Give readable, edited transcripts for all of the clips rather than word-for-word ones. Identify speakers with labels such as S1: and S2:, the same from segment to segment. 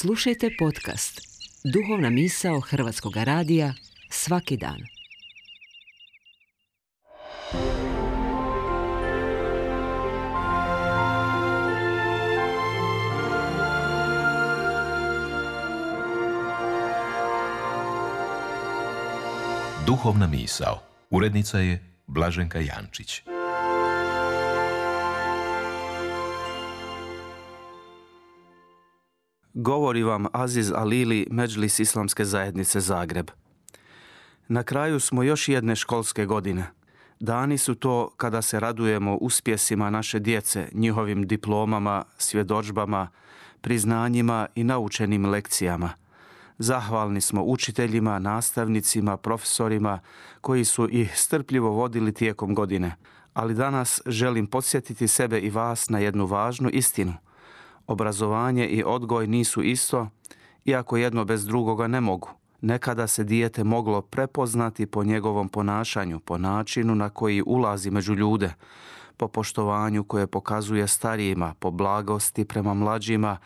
S1: Slušajte podcast Duhovna misao Hrvatskog radija svaki dan.
S2: Duhovna misao. Urednica je Blaženka Jančić.
S3: Govori vam Aziz Alili, Medžlis Islamske zajednice Zagreb. Na kraju smo još jedne školske godine. Dani su to kada se radujemo uspjesima naše djece, njihovim diplomama, svjedodžbama, priznanjima i naučenim lekcijama. Zahvalni smo učiteljima, nastavnicima, profesorima koji su ih strpljivo vodili tijekom godine. Ali danas želim podsjetiti sebe i vas na jednu važnu istinu. Obrazovanje i odgoj nisu isto, iako jedno bez drugoga ne mogu. Nekada se dijete moglo prepoznati po njegovom ponašanju, po načinu na koji ulazi među ljude, po poštovanju koje pokazuje starijima, po blagosti prema mlađima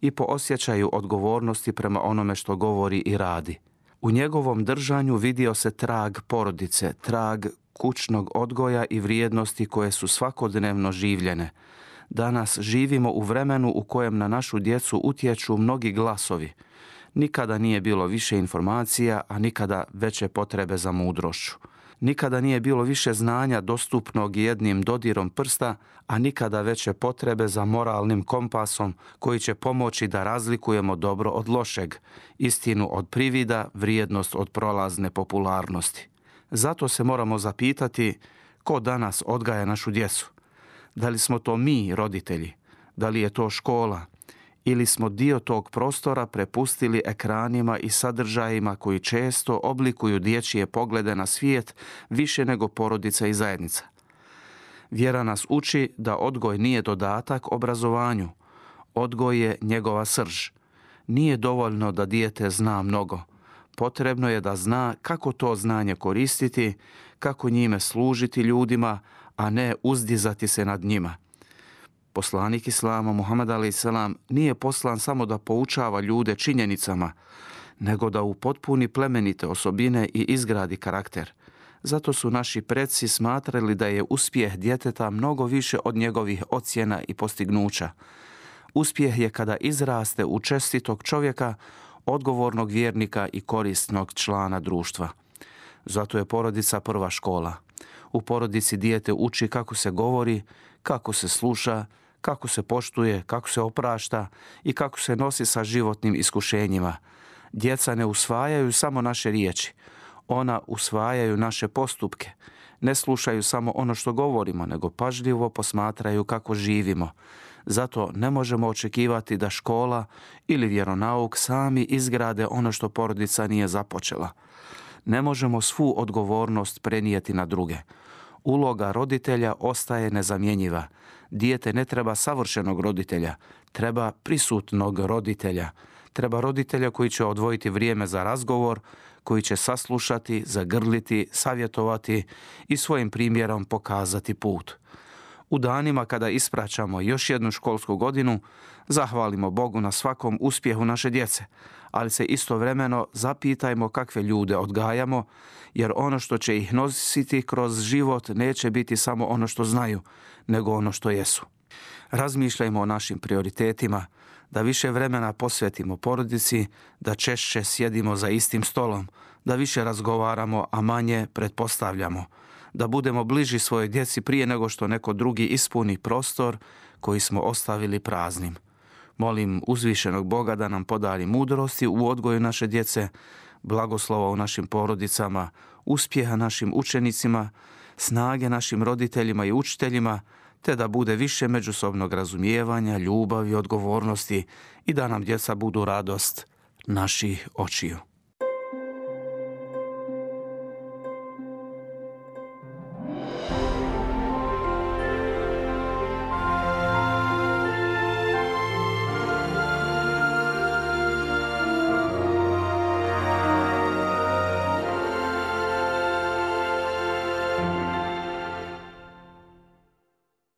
S3: i po osjećaju odgovornosti prema onome što govori i radi. U njegovom držanju vidio se trag porodice, trag kućnog odgoja i vrijednosti koje su svakodnevno življene. Danas živimo u vremenu u kojem na našu djecu utječu mnogi glasovi. Nikada nije bilo više informacija, a nikada veće potrebe za mudrošću. Nikada nije bilo više znanja dostupnog jednim dodirom prsta, a nikada veće potrebe za moralnim kompasom koji će pomoći da razlikujemo dobro od lošeg, istinu od privida, vrijednost od prolazne popularnosti. Zato se moramo zapitati ko danas odgaja našu djecu. Da li smo to mi, roditelji? Da li je to škola? Ili smo dio tog prostora prepustili ekranima i sadržajima koji često oblikuju dječje poglede na svijet više nego porodica i zajednica? Vjera nas uči da odgoj nije dodatak obrazovanju. Odgoj je njegova srž. Nije dovoljno da dijete zna mnogo. Potrebno je da zna kako to znanje koristiti, kako njime služiti ljudima, a ne uzdizati se nad njima. Poslanik Islama, Muhammed a.s. nije poslan samo da poučava ljude činjenicama, nego da upotpuni plemenite osobine i izgradi karakter. Zato su naši preci smatrali da je uspjeh djeteta mnogo više od njegovih ocjena i postignuća. Uspjeh je kada izraste u čestitog čovjeka, odgovornog vjernika i korisnog člana društva. Zato je porodica prva škola. U porodici dijete uči kako se govori, kako se sluša, kako se poštuje, kako se oprašta i kako se nosi sa životnim iskušenjima. Djeca ne usvajaju samo naše riječi. Ona usvajaju naše postupke. Ne slušaju samo ono što govorimo, nego pažljivo posmatraju kako živimo. Zato ne možemo očekivati da škola ili vjeronauk sami izgrade ono što porodica nije započela. Ne možemo svu odgovornost prenijeti na druge. Uloga roditelja ostaje nezamjenjiva. Dijete ne treba savršenog roditelja, treba prisutnog roditelja. Treba roditelja koji će odvojiti vrijeme za razgovor, koji će saslušati, zagrliti, savjetovati i svojim primjerom pokazati put. U danima kada ispraćamo još jednu školsku godinu, zahvalimo Bogu na svakom uspjehu naše djece, ali se istovremeno zapitajmo kakve ljude odgajamo, jer ono što će ih nositi kroz život neće biti samo ono što znaju, nego ono što jesu. Razmišljajmo o našim prioritetima, da više vremena posvetimo porodici, da češće sjedimo za istim stolom, da više razgovaramo, a manje pretpostavljamo, da budemo bliži svojoj djeci prije nego što neko drugi ispuni prostor koji smo ostavili praznim. Molim uzvišenog Boga da nam podari mudrosti u odgoju naše djece, blagoslova u našim porodicama, uspjeha našim učenicima, snage našim roditeljima i učiteljima, te da bude više međusobnog razumijevanja, ljubavi, odgovornosti i da nam djeca budu radost naših očiju.